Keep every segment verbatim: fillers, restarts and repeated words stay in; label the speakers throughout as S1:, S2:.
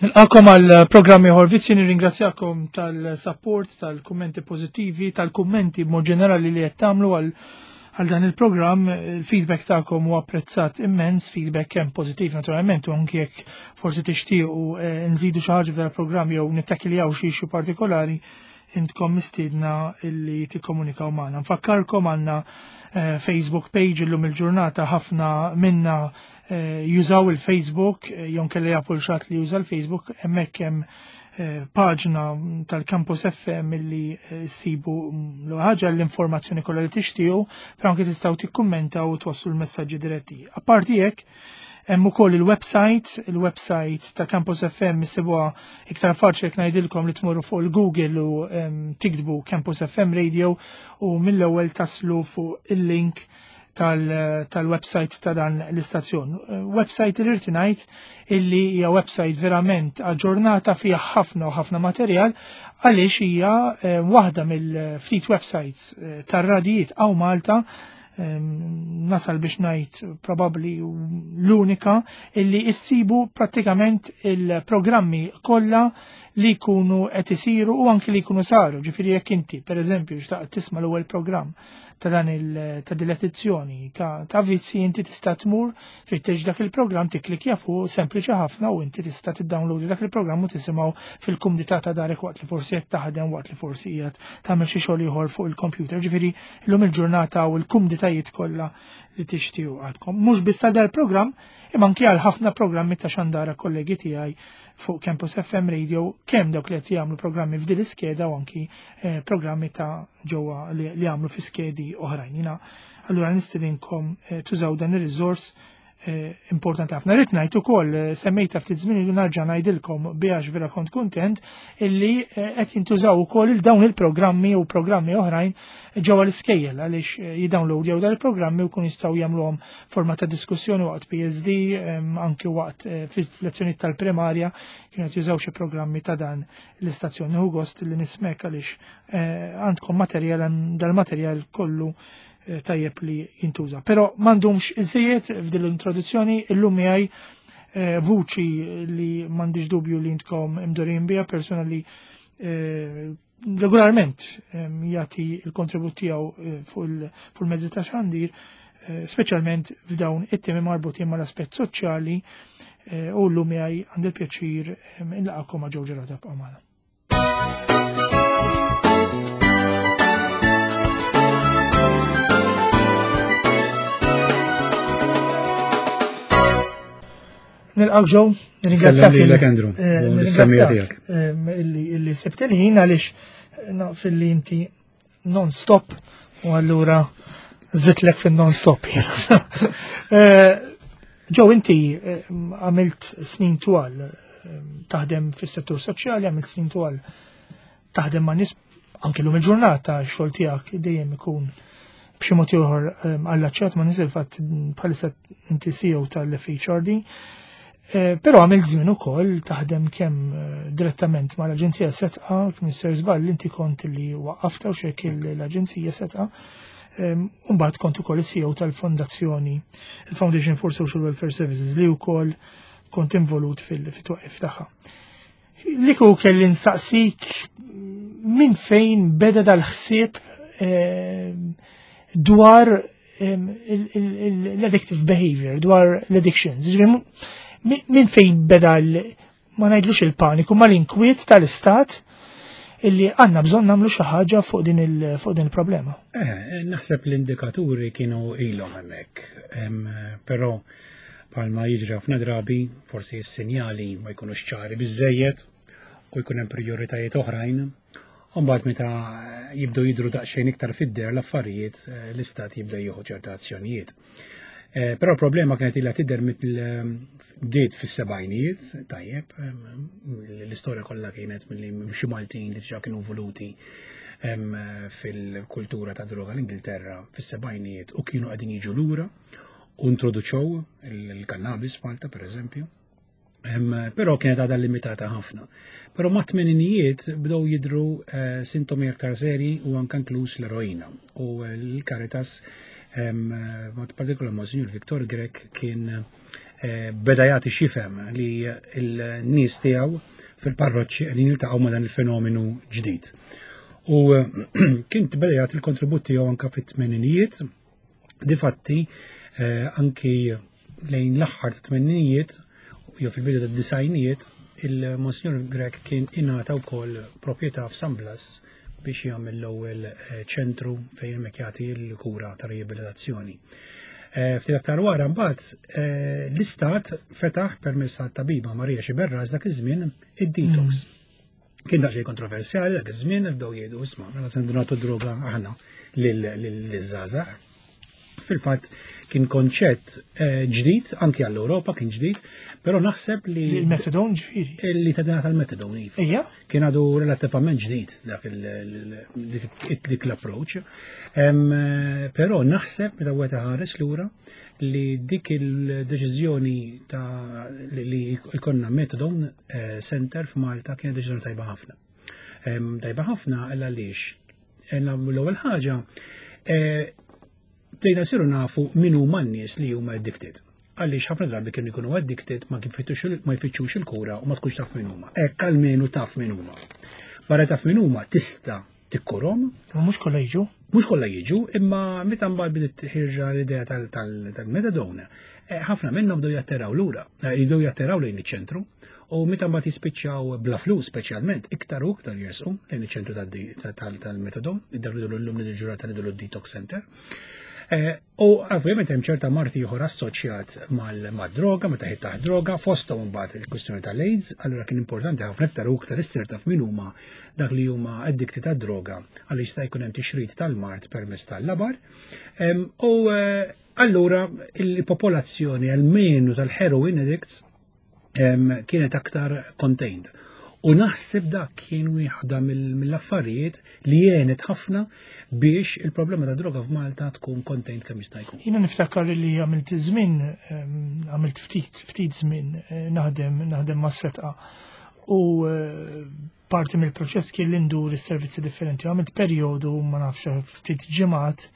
S1: Nilqakom għal programm ieħor Vizzji, nirringrazzjakom tal-support, tal-kummenti pożittivi, tal-kummenti b'mod ġenerali li qed tagħmlu għal għal dan il-programm. Il-feedback tagħkom huwa apprezzat immens, feedback kemm pożittiv naturalment u anke jekk forsi tixtiequ eh, nżidu xi ħaġa f'dan il-programm jew nittakiljaw xi issue partikolari, intkom mistiedna illi tikkomunikaw magħna. Nfakkarkom għandna eh, Facebook page. Illum il-ġurnata ħafna minna eh, jużaw il-Facebook, eh, jew kelli jafu l-xat li juża l-Facebook, hemmhekk hemm eh, paġna tal-Campus F M illi eh, ssibu l ħaġa l-informazzjoni kollha li tixtiequ, però anke tistgħu tikkummentaw u twasslu l-messaġġi diretti. Apparti hekk, hemm ukoll il-website, il-website ta' Campus F M issibuha iktar faċli jekk ngħidilkom li tmorru fuq il-Google u em, tiktbu Campus F M Radio u mill-ewwel taslu fuq il-link tal- tal-website ta' dan l-istazzjon. Eh, Website li rrid ngħid illi hija website verament aġġornata, fiha ħafna u ħafna materjal għaliex hija eh, waħda mill-ftit websites eh, tar-radijiet hawn Malta, em, nasal biex ngħid probabbli l-unika illi issibu prattikament il-programmi kollha li jkunu qed isiru u anki li jkunu saru. Ġifieri jekk inti, pereżempju, xtaqt tisma' l-ewwel programm ta' dan il ta' din l-edizzjoni ta' ta' Vizzi, inti tista' tmur fittex dak il-programm, tikklikja fuq, sempliċi ħafna, u inti tista' tiddownload dak il-programm u tisimgħu fil-kumdità ta' darek waqt li forsi qed taħdem, waqt li forsi qiegħed tagħmel xi xogħol ieħor fuq il-computer. Ġifieri llum il-ġurnata u l-kumditajiet kollha li tixtiequ għandkom. Mhux biss għal dal-programm, imma anki għal ħafna programmi ta' xandara kollegi tiegħi fuq Campus F M Radio, kemm dawk li qed jagħmlu programmi f'din l-iskeda u anki eh, programmi ta' ġewwa li, li jagħmlu fi skedi oħrajn. Jiena allura nistedinkom eh, tużaw dan ir-riżors eh, importanti ħafna. Rrid ngħid ukoll, eh, semmejta ftit żmien ilu, narġa' ngħidilkom bihax vera kont kuntent illi eh, qed jintużaw ukoll il dawn il-programmi u programmi oħrajn ġewwa l-iskejjel għaliex eh, jidownloadjaw dan il-programmi u kun jistgħu jagħmluhom forma ta' diskussjoni waqt P S D, em, anki waqt eh, fil-lezzjonijiet tal-primarja kienu qed jużaw xi programmi ta' dan l-istazzjon. Nieħu gost li nismek għaliex eh, għandkom materjal, dal-materjal kollu eh, tajjeb li jintuża. Però m'għandhomx iżejjed f'din l-introduzzjoni. Illum miegħi eh, vuċi li m'għandix dubju li intkom imdorrijin biha, persuna li eh, regolarment em, jagħti il-kontribut tiegħu eh, fuq il- fuq il-mezzi ta' xandir, eh, speċjalment f'dawn it-temi marbutin mal-aspett soċjali, eh, u llum miegħi għandi l-pjaċir em, inlaqakom ma' Joe Gerada b'Amana. Nilqak Joe, nirringrazzjak.
S2: Sellem lilek, Andrew,
S1: eh,
S2: u lis-semmiegħa
S1: nirringrazzjak, em, illi illi sibt il-ħin għaliex naf illi inti non-stop u allura zitlek fin-non-stop. Eh, Joe, inti eh, għamilt snin twal eh, taħdem fis-settur soċjali, għamilt snin twal taħdem ma' nies, anke lum il-ġurnata x-xogħol tiegħek dejjem ikun b'xi mod ieħor allaċċat ma' nies, il-fatt bħalissa inti C E O tal-F H R D. Eh, Però għamilt żmien ukoll taħdem kemm eh, direttament mal-Aġenzija Sedqa, kien ser żball inti kont li waqqafta u xek l-Aġenzija Sedqa. Mbagħad kont ukoll is-C E O tal-fondazzjoni, il-Foundation for Social Welfare Services, li wkoll kont involut fil-twaqif tagħha. Li kieku kelli nsaqsik minn fejn beda dal-ħsieb eh, dwar em, il- il- il- l-addictive behavior, dwar l-addictions. Ġifieri, Min min fejn beda l- ma ngħidlux il-paniku, ma l-inkwiet tal-istat illi għandna bżonn nagħmlu xi ħaġa fuq din il- fuq din il-problema?
S2: Eh, naħseb l-indikaturi kienu ilhom hemmhekk, Em, però palma jiġri ħafna drabi, forsi s-sinjali ma jkunux ċari biżejjed u jkun hemm prioritajiet oħrajn. U mbagħad meta jibdew jidru daqsxejn iktar fid-der l-affarijiet, eh, l-istat jibda jieħu ċerta azzjonijiet. Eh, Però problema kienet ilha tidher bdiet fis-sebgħinijiet, tajjeb, em, l-istorja kollha kienet milli xi Maltin li diġà kienu voluti em, fil-kultura ta' droga l-Ingilterra fis-sebgħinijiet u kienu qegħdin jiġu lura u introduċew il-cannabis f'Malta, per eżempju. Em, Però kienet għadha limitata ħafna. Però ma' tmeninijiet bdew jidru eh, sintomi aktar seri u anke inkluż l-eroina. U eh, l-Caritas, em, mod partikolar Monsignor Victor Grech, kien eh, beda jagħti x'jifhem li l-nies tiegħu fil-parroċċi qegħdin jiltaqgħu ma' dan il-fenomenu ġdid. U eh, kien beda jagħti l-kontribut tiegħu anke fit-tmeninijiet. Difatti, eh, anki lejn l-aħħar tat-tmeninijiet jew fil-bidu tad-disgħinijiet, il-Monsignor Grech kien ingħata wkoll proprjetà f'San Blas biex jagħmel l-ewwel eh, ċentru fejn hemmhekk jagħti l-kura ta' riabilitazzjoni. Eh, Ftit aktar wara mbagħad eh, l-istat fetaħ permezz tat-tabiba Maria Xiberras dak iż-żmien id-detox. Kien daqsxejn kontroversjali dak iż-żmien, bdew jgħidu, "Isma', mela se nagħtu droga aħna lil-żgħażagħ?" Fil-fatt kien konċett eh, ġdid, anki għall-Ewropa kien ġdid, però naħseb li
S1: Il-methadone ġifieri.
S2: Li ta' tal-methadone, iva.
S1: Ejja,
S2: Kien għadu relattivament ġdid dak il- dik dik l-approach. Em, eh, Però naħseb meta wieħed ħares lura li dik il-deċiżjoni ta' li li jkollna methadone eh, center f'Malta kienet deċiżjoni tajba ħafna. Em, Tajba ħafna għal għaliex l-ewwel ħaġa eh, bdejna nsiru nafu min huma n-nies li huma addicted. Għaliex ħafna drabi kienu jkunu addicted, ma kien fittux- ma jfittxux il-kura u ma tkunx taf min huma. Hekk almenu taf min huma. Barra taf min huma, tista' tikkurhom.
S1: Ma mhux kollha jiġu.
S2: Mhux kollha jiġu, imma meta mbagħad bdiet ħirġa l-idea tal-methadone, eh, ħafna minnhom bdew jatteraw lura, eh, jibdew jatteraw lejn iċ-ċentru, u meta mbagħad jispiċċaw bla flus speċjalment, iktar u iktar jersqu lejn iċ-ċentru tal-methadone, id-dar li l-lum li ġurata li detox center. Eh, U ovvjament hemm ċerta mard ieħor assoċjat mal-droga, meta ħiet taħt droga, fosthom imbagħad il-kwistjoni tal-AIDS. Allura kien importanti ħafna iktar u iktar issir taf min huma dak li huma addikti tad-droga, għaliex jista' jkun hemm tixrid tal-mard permezz tal-labar. Em, U eh, allura il-popolazzjoni almenu tal-heroin addicts em, kienet aktar contained. U naħseb dak kien wieħda mill- mill-affarijiet li għenet ħafna biex il-problema ta' droga f'Malta tkun contained kemm jista' jkun.
S1: Jiena niftakar li għamilt żmien, em, għamilt ftit ftit żmien eh, naħdem naħdem ma' Sedqa u eh, parti mill-proċess kien li ndur is-servizzi differenti. Għamilt perjodu, ma nafx, ftit ġimgħat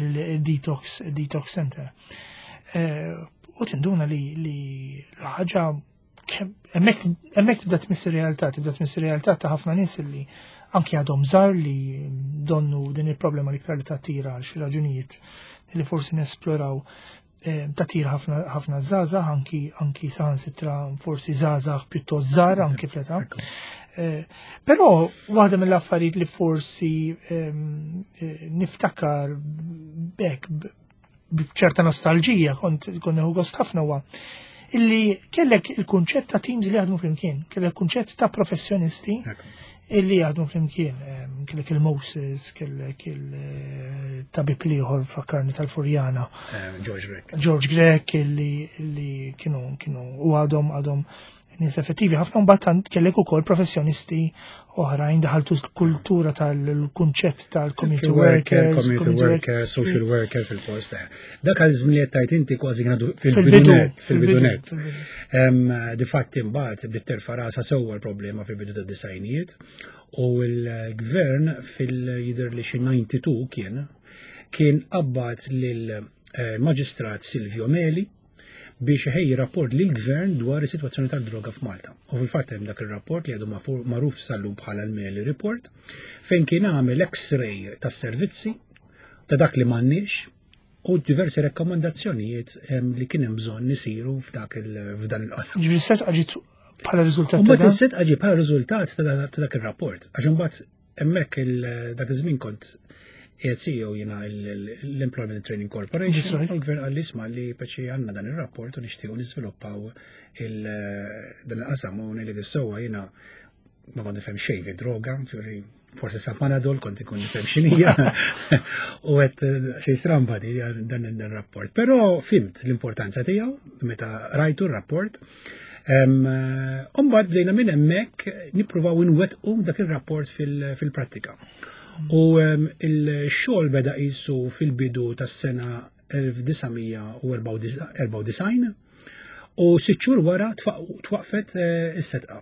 S1: il-detox detox center. Eh, U tinduna li li l-ħaġa kemm- hemmhekk hemmhekk tibda tmiss ir-realtà, tibda tmiss ir-realtà ta' ħafna nies li anki għadhom żgħar li donnu din il-problema li iktar li tattira għal xi raġunijiet li forsi nesploraw, eh, tattira ħafna ħafna żgħażagħ, anki anki saħansitra forsi żgħażagħ pjuttost żgħar anki fl-età.
S2: Ekku.
S1: Eh, Però waħda mill-affarijiet li forsi ehm, eh, niftakar bek b'ċerta nostalġija, kont kont nieħu gost ħafna, huwa illi kellek il-kunċett ta' teams li jaħdmu flimkien, kellek kunċett ta' professjonisti
S2: Ekku.
S1: illi jaħdmu flimkien. Ehm, Kellek il-Moses, kellek il-tabib l-ieħor, fakkarni, tal-Furjana.
S2: Eh, George Grech.
S1: George Grech, illi, illi kienu kienu u għadhom għadhom nies effettivi ħafna. Mbagħad tant kellek ukoll professjonisti oħrajn, daħaltu l-kultura tal-kunċett tal-community
S2: worker,
S1: workers,
S2: community worker, social worker fil-post. eh. Dak għal żmien li tajt inti kważi kienu
S1: fil-bidu,
S2: fil-bidunet, fil-bidunet.
S1: Fil-bidu.
S2: Em, Difatti mbagħad bdiet terfa' rasha sewwa l-problema fil-bidu tad-disgħinijiet u l-gvern fil-jidher li xi disgħa u disgħin kien kien qabbad lil eh, maġistrat Silvio Meli biex iħejji rapport lil gvern dwar is-sitwazzjoni tal-droga f'Malta. U fil-fatt hemm dak ir-rapport li għadu mafu- magħruf sal-lum bħala l-Meli Report, fejn kien għamel X-ray tas-servizzi, ta' dak li m'għandniex u diversi rekkomandazzjonijiet em, li kien hemm bżonn isiru f'dak il- f'dan il-qasam.
S1: Ġifieri Sedqa ġiet bħala riżultat
S2: U
S1: ta'
S2: mbagħad
S1: dan?
S2: is-Sedqa ġie bħala riżultat ta' ta' dak ir-rapport. Għax imbagħad hemmhekk il- dak iż-żmien kont qiegħed C E O jiena l-Employment Training Corporation.
S1: That's right.
S2: U l-gvern qal li, "Isma', li peċi għandna dan ir-rapport u nixtiequ niżviluppaw il- dan il-qasam", u ngħidlek is-sewwa jiena ma kont nifhem xejn fi droga, ġifieri forsi sa Panadol kont ikun nifhem x'inhija. U għedt xi stramba di dan dan rapport. Però fhimt l-importanza tiegħu meta rajtu r-rapport. Umbagħad bdejna minn hemmhekk nippruvaw inwettqu dak ir-rapport fil- fil-prattika. U em, il-xogħol beda qisu fil-bidu tas-sena elf disa' mija u erbgħa u disgħin u sitt xhur wara twaq- twaqfet eh, is-Sedqa.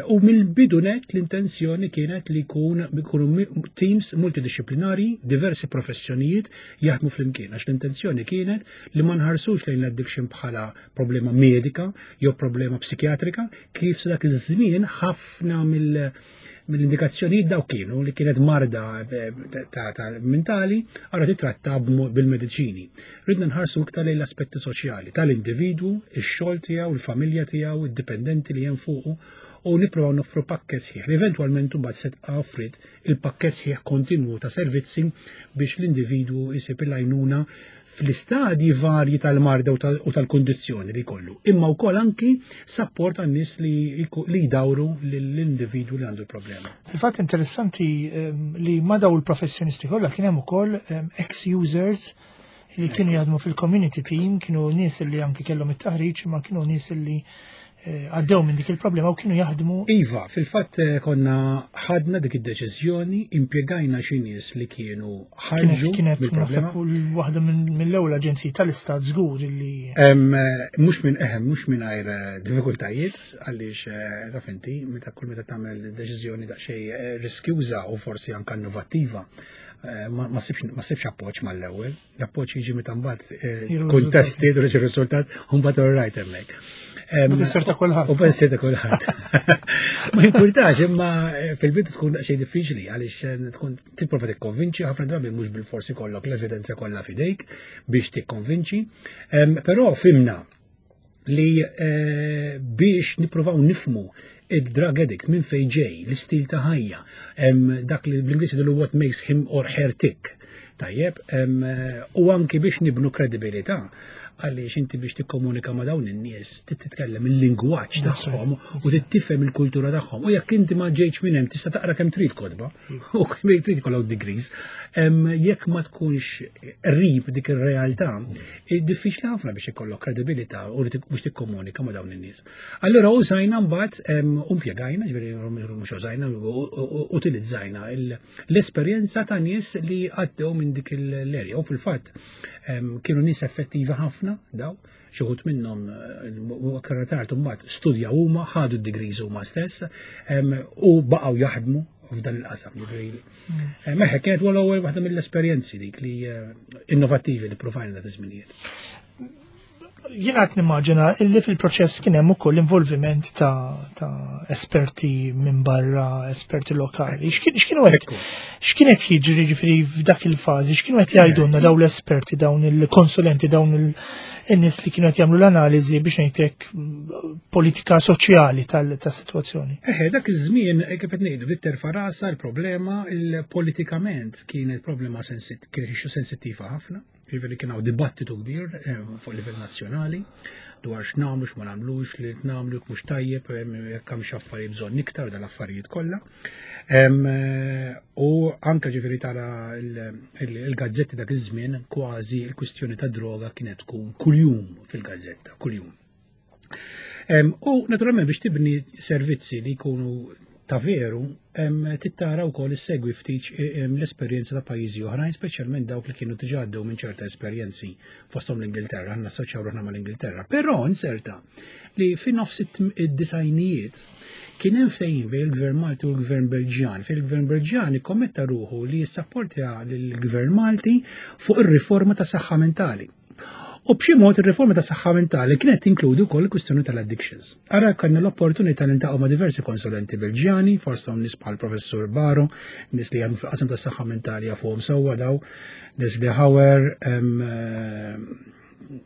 S2: U mill-bidu net l-intenzjoni kienet li jkun ikunu teams multidisciplinari, diversi professjonijiet jaħdmu flimkien, għax l-intenzjoni kienet li ma nħarsux lejn l-addiction bħala problema medika jew problema psikjatrika, kif sa dak iż-żmien ħafna mill mill-indikazzjonijiet daw kienu li kienet marda eh, ta' ta' mentali għara titratta bil-mediċini. Ridna nħarsu iktar lejn l-aspetti soċjali tal-individwu, ix-xogħol tiegħu, il-familja tiegħu, id-dipendenti li hemm fuqu u nippruvaw noffru pakket sħiħ. Eventwalment mbagħad se offrit il-pakket sħiħ kontinwu ta' servizzi biex l-individwu jsib il-għajnuna fl-istadji varji tal-marda u tal-kondizzjoni li jkollu. Imma wkoll anki support għan-nies li li jdawru l-individwu li għandu l-problema.
S1: Fil-fatt interessanti ehm, li ma daw il-professjonisti kollha kien hemm ukoll ehm, ex-users li kienu jaħdmu fil-community team, kienu nies li anki kellhom it-taħriġ, ma kienu nies li eh, għaddew minn dik il-problema u kienu jaħdmu.
S2: Iva, fil-fatt eh, konna ħadna dik id-deċiżjoni, impjegajna xi nies li kienu ħarġu
S1: Kienet
S2: mill-problema.
S1: Naħseb waħda mill-ewwel aġenziji tal-istat żgur li
S2: Em, eh, Mhux minn eħem, mhux mingħajr eh, diffikultajiet, għaliex eh, taf inti, meta kull meta tagħmel deċiżjoni daqsxejn eh, riskjuża u forsi anke innovattiva, eh, ma ma ssibx ma ssibx appoġġ mal-ewwel. L-appoġġ jiġi meta mbagħad eh,
S1: Jiġu
S2: tkun tested u jiġi riżultat u mbagħad all right hemmhekk. Em,
S1: U tissir ta' kulħadd.
S2: U bħal ta' kulħadd. Ma jimpurtax, imma eh, fil-bidu tkun daqsxejn diffiċli għaliex eh, tkun tipprova tikkonvinċi ħafna drabi mhux bil-forsi kollok l-evidenza kollha f'idejk biex tikkonvinċi. Em, Però fhimna li eh, biex nippruvaw nifhmu id-drug addict minn fej ġej, l-istil ta' ħajja, em, dak li bl-Ingliż jgħidu what makes him or her tick. Tajjeb, em, eh, u anki biex nibnu kredibilità, għaliex inti biex tikkomunika ma' dawn in-nies trid titkellem il-lingwaġġ
S1: That's right,
S2: tagħhom u tifhem il-kultura tagħhom. U jekk inti ma ġejtx minn hemm tista' taqra kemm trid kotba u kemm trid ikollok degrees. Em, Jekk ma tkunx qrib dik ir-realtà, eh, diffiċli ħafna biex ikollok kredibilità u li tik- biex tikkomunika ma' dawn in-nies. Allura użajna mbagħad em, u impjegajna, ġifieri mhux użajna, u- u- utilizzajna il- l-esperjenza ta' nies li għaddew minn dik l-area. U fil-fatt em, kienu nies effettivi ħafna daw, xi wħud minnhom eh, u aktar tard mbagħad studja huma, ħadu d-degrees huma stess em, u baqgħu jaħdmu f'dan il-qasam. Ġifieri, eh, Meħe kienet l-ewwel waħda mill-esperjenzi dik li eh, innovattivi li provajna dak iż-żminijiet.
S1: Jiena qed nimmaġina illi fil-proċess kien hemm ukoll involviment ta', ta' esperti minn barra, esperti lokali. X'kien- X'kienu qed
S2: Ekku.
S1: x'kienet jiġri ġifieri f'dak il-fażi, x'kienu qed jgħidulna dawn l-esperti, dawn il-konsulenti, dawn il-nies li kienu qed jagħmlu l-analiżi biex ngħidlek mm, politika soċjali tal-sitwazzjoni.
S2: Eħe, dak iż-żmien eh, kif qed ngħidu bdiet terfa' rasha l-problema il-politikament kienet problema sensit kienet issue sensittiva ħafna. Ġifieri kien hawn dibattitu kbir eh, fuq livell nazzjonali dwar x'nagħmlu x'ma nagħmlux, li nagħmlu jekk mhux tajjeb, eh, jekk hemm xi affarijiet bżonn iktar dal-affarijiet kollha. Em, eh, U anke ġifieri tara il- il- il-gazzetti dak iż-żmien kważi l-kwistjoni ta' droga kienet tkun kuljum fil-gazzetta, kuljum. Em, U naturalment biex tibni servizzi li jkunu ta' veru, em, tittara wkoll issegwi ftit em, l-esperjenza ta' pajjiżi oħrajn, speċjalment dawk li kienu diġà għaddew minn ċerta esperjenzi fosthom l-Ingilterra, għandna assoċjaw ruħna mal-Ingilterra. Però inserta li fi nofs id-disgħinijiet kien hemm ftehim bejn il-Gvern Malti u l-Gvern Belġjan. Fejn il-Gvern Belġjan ikkommetta ruħu li jissapportja lill-Gvern Malti fuq ir-riforma ta' saħħa mentali. U b'xi mod ir-riforma ta' saħħa mentali kienet tinkludi wkoll il-kwistjoni tal-addictions. Ara kellna l-opportunità li niltaqgħu ma' diversi konsulenti Belġjani, forsi hawn nies bħal professur Baro, nies li jaħdmu fil-qasam tas-saħħa mentali jafuhom sewwa daw, Leslie Hauer, em, eh,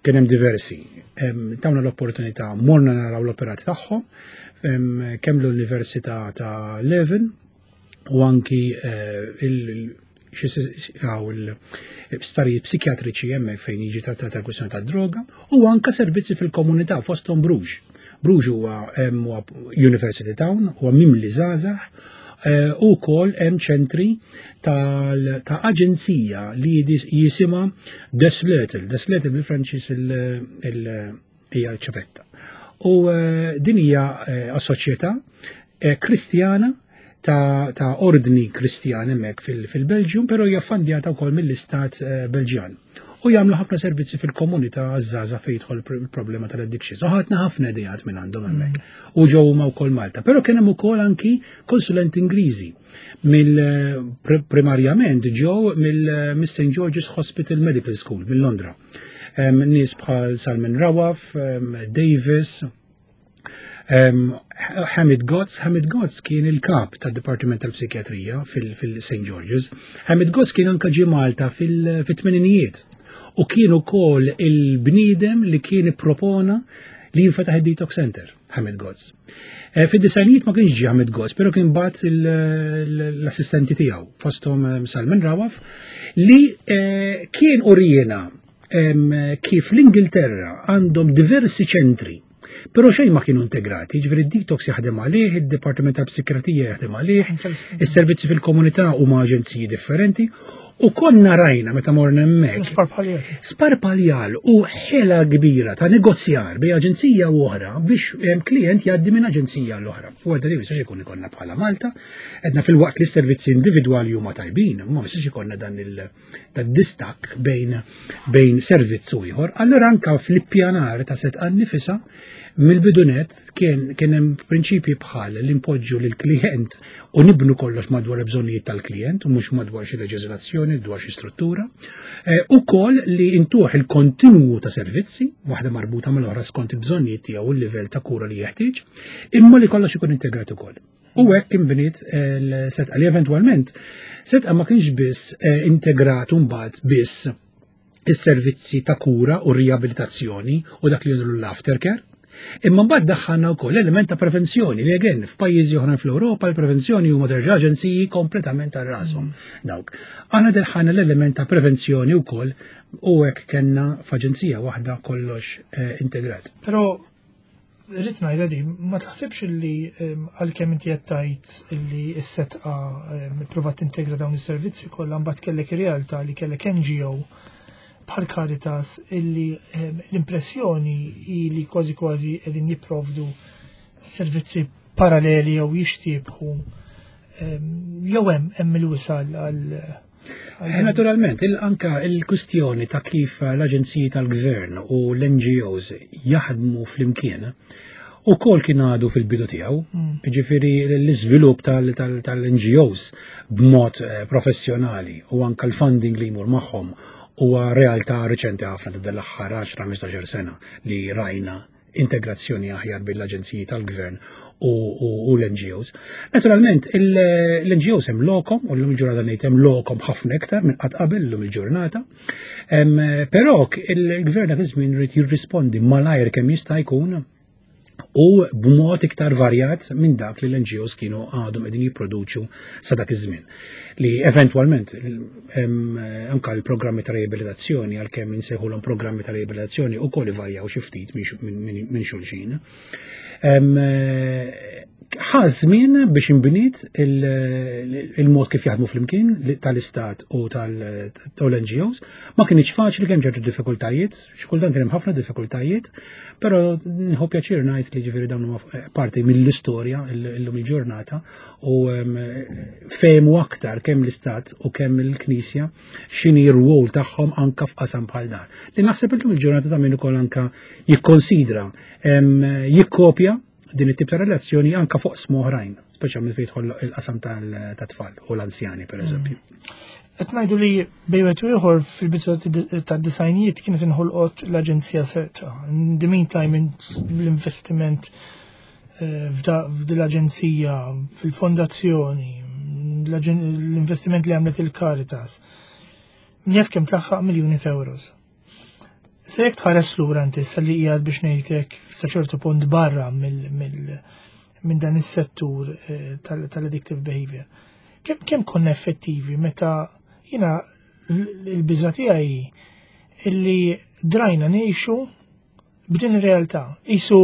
S2: kien hemm diversi. Em, Tawna l-opportunità morna naraw l-operat tagħhom, em, kemm l-Università ta' Leuven u anki eh, il- xi għaw il-sptarijiet psikjatriċi hemmhekk fejn jiġi trattata l-kwistjoni tad-droga u anka servizzi fil-komunità fosthom Bruges. Bruges huwa hemm huwa University Town, huwa mimli żgħażagħ eh, u wkoll hemm ċentri tal- ta' aġenzija li jidis- jisimha De Sleutel. De Sleutel bil-Franċiż il- il- hija l-ċavetta. U eh, din hija eh, soċjetà eh, kristjana ta', ta' ordni kristjan hemmhekk fil- fil-Belġium, però hija ffandjata wkoll mill-istat eh, Belġjan. U jagħmlu ħafna servizzi fil-komunità għaż-żgħażagħ fejn jidħol il-problema tal-addictions. U ħadna ħafna ideat minn għandhom hemmhekk. U ġew huma wkoll Malta. Però kien hemm ukoll anki konsulenti Ingliżi mill primarjament ġew mill-Saint George's Hospital Medical School minn Londra. Nies bħal Salman Rawaf, Davis, Hamid Gotz. Hamid Gotz kien il-kap tad-Dipartiment tal-Psikjatrija fil-Saint George's. Hamid Gotz kien anka ġie Malta fil-tmeninijiet u kien ukoll il-bniedem li kien ippropona li jinfetaħ id-Detox Center, Hamid Gotz. Eh, Fid-disgħinijiet ma kienx ġie Hamid Gotz, pero kien bagħat l-assistenti tiegħu, fosthom Salman Rawaf, li eh, kien uriena kif l-Ingilterra għandhom diversi ċentri, pero xejn ma kienu integrati, ġifieri d-detox jaħdem għalih, id-Dipartiment tal-Psikjatrija jaħdem għalih, is-servizzi fil-komunità huma aġenziji differenti, u konna rajna meta morna hemmhekk.
S1: Sparpaljal.
S2: Sparpaljal u ħela kbira ta' negozjar bejn aġenzija u oħra biex klient jgħaddi minn aġenzija l-oħra. U għadda li jistax ikun ikollna bħala Malta, għedna fil-waqt li s-servizzi individwali huma tajbin, ma jistax ikollna dan il-distakk bejn bejn servizz u ieħor. Allura anka fl-ippjanar ta' Sedqa nnifisha, mill-bidu nett kien kien hemm prinċipji bħal li npoġġu lil klient u nibnu kollox madwar il-bżonnijiet tal-klient u mhux madwar xi leġiżlazzjoni, dwar xi struttura. Eh, ukoll li intuħ il-kontinwu ta' servizzi, waħda marbuta mal-oħra skont il-bżonnijiet tiegħu u l-livell ta' kura li jeħtieġ, imma li kollox ikun integrat ukoll. U hekk inbniet l-Sedqa li eventwalment Sedqa ma kienx biss eh, integrat mbagħad biss is-servizzi ta' kura u riabilitazzjoni u dak li jgħidu l-aftercare, imma mbagħad daħħalna wkoll element ta' prevenzjoni li again f'pajjiżi oħra fl-Ewropa l-prevenzjoni huma terġa' aġenziji kompletament għal rashom dawk. Aħna daħħalna l-element ta' prevenzjoni wkoll u hekk kellna f'aġenzija waħda kollox eh, integrat.
S1: Però rrid ngħidha di, ma taħsibx li għalkemm inti qed tgħid li s-Sedqa ippruvat tintegra dawn is-servizzi kollha, mbagħad kellek ir-realtà li kellek N G O bħal Caritas illi l-impressjoni li kważi kważi qegħdin jipprovdu servizzi paralleli jew jixtiebħu jew hemm hemm il-wisal għal
S2: Eh, Naturalment, il anka il-kustjoni ta' kif l-aġenziji tal-gvern u l-N G Os jaħdmu flimkien ukoll kien għadu fil-bidu tiegħu, mm. ġifieri l-iżvilupp tal-N G Os b'mod eh, professjonali u anka l-funding li jmur magħhom huwa realtà reċenti ħafna ta' l-aħħar għaxra ħmistax-il sena li rajna integrazzjoni aħjar bil-aġenziji tal-gvern u, u, u l-N G Os. Naturalment, l-N G Os hemm lokom, u l-lum il-ġurnata ngħid hemm lokom ħafna iktar minn qatt qabel l-lum il-ġurnata. Però il-gvern dak iż-żmien irid jirrispondi malajr kemm jista' jkun u b'mod iktar varjat minn dak li l-N G Os kienu għadhom qegħdin jipproduċu sa dak iż-żmien. Li eventwalment anka l-programmi ta' riabilitazzjoni, għalkemm insejħulhom programmi ta' riabilitazzjoni, ukoll ivarjaw xi ftit minn xulxin. Ħa żmien biex inbniet il-mod kif jaħdmu flimkien tal-istat u tal-N G Os. Ma kienx faċli, kemm ċertu diffikultajiet, xi kultant kien hemm ħafna diffikultajiet, però nieħu pjaċir ngħid li ġifieri dawn huma parti mill-istorja illum il-ġurnata u fehmu aktar kemm l-istat u kemm il-Knisja x'inhi r-rwol tagħhom anka f'qasam bħal dan. Li naħseb illum il-ġurnata ta' min ukoll anka jikkonsidra jikkopja din it-tip ta' relazzjoni anka fuq oqsma oħrajn, speċjalment fejn jidħol il-qasam tat-tfal u l-anzjani, per eżempju.
S1: Qed ngħidu li bejn wieħed u ieħor fil-bidu tad-disgħinijiet kienet inħolqot l-Aġenzija Sedqa. In the meantime, l-investiment eh, f'din l-aġenzija, fil-fondazzjoni, l-investiment li għamlet il-Caritas, jaf kemm tlaħħaq miljuni ta' euros. Se jekk tħares lura inti issa li qiegħed biex ngħidlek sa ċertu punt barra minn dan is-settur eh, tal-addictive behavior. Kemm kemm konna effettivi meta jiena l-biża tiegħi illi drajna ngħixu b'din ir-realtà? Isu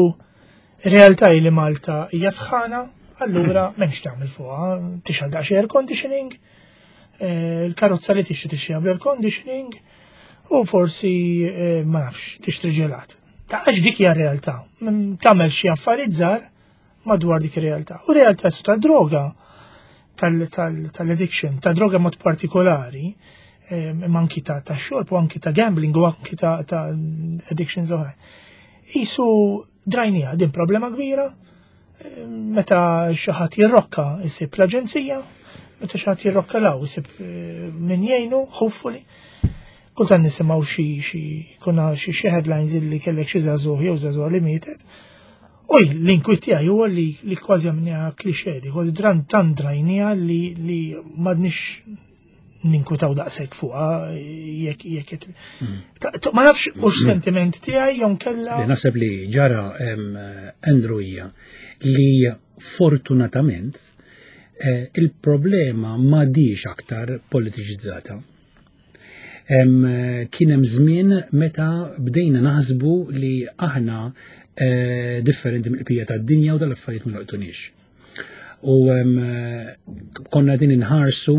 S1: realtà li Malta hija sħana, allura m'hemmx tagħmel fuqha, tixgħel daqsxejn air conditioning, eh, il-karozza li tixtri tixtri bl-air conditioning, u forsi eh, ma nafx tixtri ġelat. Ta' għax dik hija realtà. Tagħmel xi affarijiet żgħar madwar dik ir-realtà. U realtà su ta' droga tal-addiction, ta' droga mod partikolari, Imma anki ta' ta' xorb u anki ta' gambling u anki ta' ta' addictions oħra. Isu drajnija, din problema kbira, meta xi ħadd jirrokka jsib l-aġenzija, meta xi ħadd jirrokka law isib eh, min jgħinu, hopefully. Kultant nisimgħu xi xi kuna xi xi headlines illi kellek xi żagħżugħ jew żagħżugħa li mietet. U l-inkwiet tiegħi huwa li li kważi għamilniha cliché, kważi dran tan drajnija li li m'għadniex ninkwitaw daqshekk fuqha jekk jekk qed- Ta- ta- Ma nafx hux sentiment tiegħi jew kella.
S2: Li naħseb li ġara em, Andrew hija li fortunatament eh, il-problema m'għadhiex aktar politiċizzata. Em, Kien hemm żmien meta bdejna naħsbu li aħna eh, differenti mill-bqija tad-dinja u dal-affarijiet ma jolqtunix. U em, konna din inħarsu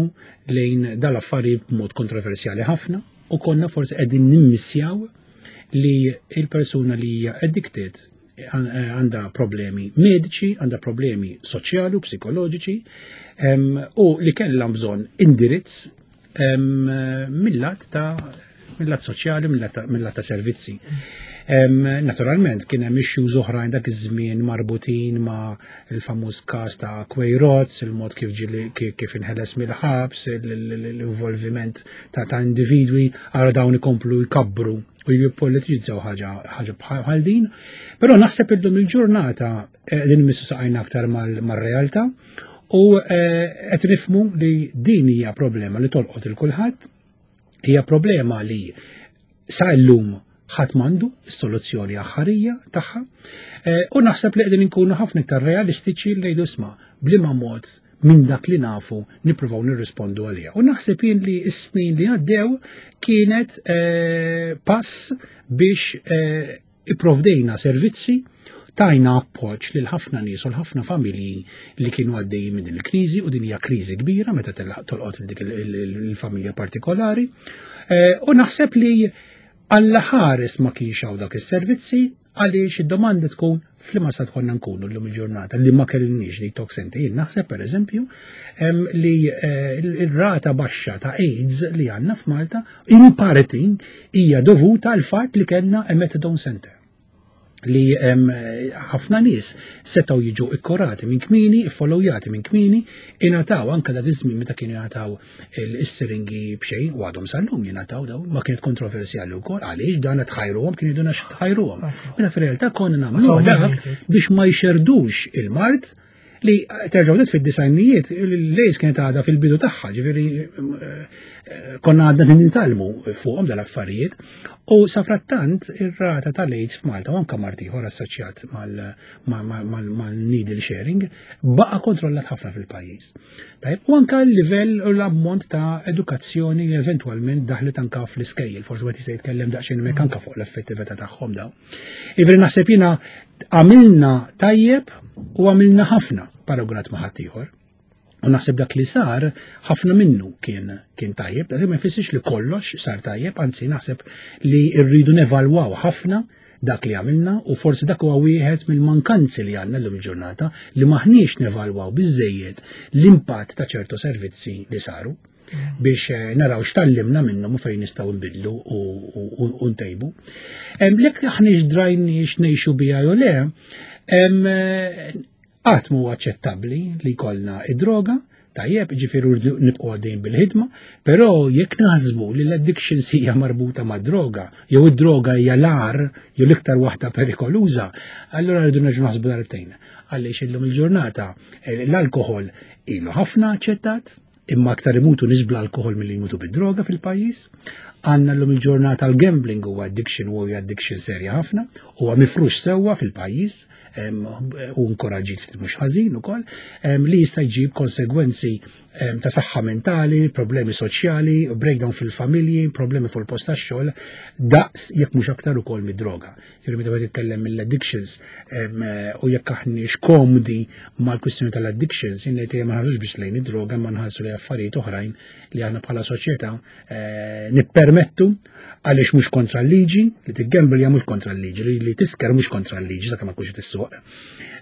S2: lejn dal-affarijiet b'mod kontroversjali ħafna u konna forsi qegħdin nimmissjaw li il-persuna li hija addicted għandha problemi mediċi, għandha problemi soċjali u psikoloġiċi em, u li kellha bżonn indirizz em, mill-lat ta' mill-lat soċjali, mill-lat ta'- mill-lat ta' servizzi. Em, Naturalment kien hemm issues oħrajn dak iż-żmien marbutin ma' il-famuż każ ta' Queiroz, il-mod kif ġili kif kif inħeles mill-ħabs, il- il- l-involviment ta' ta' individwi, għara dawn ikomplu jkabbru u jippolitizzaw ħaġa ħaġa bħal din. Però naħseb illum il-ġurnata eh, din missu saqajna aktar mal- mar-realtà u eh, qed nifhmu li din hija problema li tolqot il kulħadd, hija problema li sa llum ħadd m'għandu s-soluzzjoni aħħarija tagħha. Eh, U naħseb li qegħdin inkunu ħafna iktar realistiċi li ngħidu isma' b'liema mod minn dak li nafu nippruvaw nirrispondu għaliha. U naħseb jien li s-snin li għaddew kienet eh, pass biex eh, ipprovdejna servizzi, tajna appoġġ lil ħafna nies u l-ħafna familji li kienu għaddejjin minn din il-kriżi, u din hija kriżi kbira meta telaq tolqot dik il- il- il-familja partikolari. Eh, U naħseb li Alla ħares ma kienx hawn dak is-servizzi, għaliex id-domanda tkun f'liema stat konna nkunu llum il-ġurnata li ma kellniex detox center. Jien naħseb pereżempju em, li eh, il-rata baxxa ta' AIDS li għandna f'Malta in parti hija dovuta għal fatt li kellna a methadone center li em, ħafna nies setgħu jiġu ikkurati minn kmieni, iffollowjati minn kmieni, ingħataw anke dak iż-żmien meta kienu jingħataw is-siringi b'xejn u għadhom sal-lum jingħataw dawn, ma kienet kontroversjali wkoll għaliex dan tħajruhom, kienu jgħidulna tħajruhom. Mela fir-realtà konna nagħmlu dak biex ma jxerdux il-mard li terġgħu net fid-disgħinijiet l-AIDS kienet għadha fil-bidu tagħha, ġifieri eh, konna għadna nitgħallmu fuqhom dal-affarijiet. U safrattant ir-rata tal-AIDS f'Malta u anke mard ieħor assoċjat mal-needle sharing baqa' kontrollat ħafna fil-pajjiż. Tajjeb, u anke l-livell u l-ammont ta' edukazzjoni li eventwalment daħlet anke fl-iskejjel, forsi wieħed jista' jitkellem daqsxejn hemmhekk anke fuq l-effettività tagħhom dawn. Jiġifieri naħseb jiena għamilna tajjeb u għamilna ħafna paragunat ma' ħaddieħor. U naħseb dak li sar ħafna minnu kien kien tajjeb, dak ma jfissirx li kollox sar tajjeb, anzi naħseb li rridu nevalwaw ħafna dak li għamilna, u forsi dak huwa wieħed mill-mankanzi li għandna llum il-ġurnata, li maħniex nevalwaw biżejjed l-impatt ta' ċertu servizzi li saru biex eh, naraw x'tgħallimna minnhom u fejn nistgħu nbidlu u ntejbu. Jekk aħniex drajniex ngħixu biha jew le, qatt mhu aċċettabbli li jkollna id-droga, tajjeb, ġifieri nibqgħu għaddejjin bil-ħidma, però jekk naħsbu li l-addiction hija marbuta ma' droga, jew id-droga hija l-agħar jew l-iktar waħda perikoluża, allura rridu nerġgħu naħsbu darbtejn. Għaliex illum il-ġurnata eh, l-alkoħol ilu ħafna aċċettat, imma aktar imutu nies bl-alkoħol milli jmutu bid-droga fil-pajjiż. Għandna llum il-ġurnata l-gambling huwa addiction u huwa addiction serja ħafna, huwa mifrux sewwa fil-pajjiż u inkoraġġit ftit mhux ħażin ukoll, li jista' jġib konsegwenzi ta' saħħa mentali, problemi soċjali, breakdown fil-familji, problemi fuq il-post tax-xogħol, daqs jekk mhux aktar ukoll mid-droga. Jiġifieri meta wieħed jitkellem mill-addictions u jekk aħniex komdi mal-kwistjoni tal-addictions, jien ngħid ma nħarsux biss lejn id-droga, ma nħarsu lejn affarijiet oħrajn li aħna bħala soċjetà eh, nippermettu nippermettu għaliex mhux kontra l-liġi, li tiggambelja mhux kontra l-liġi, li tisker mhux kontra l-liġi, sakemm ma tkunx tissuq.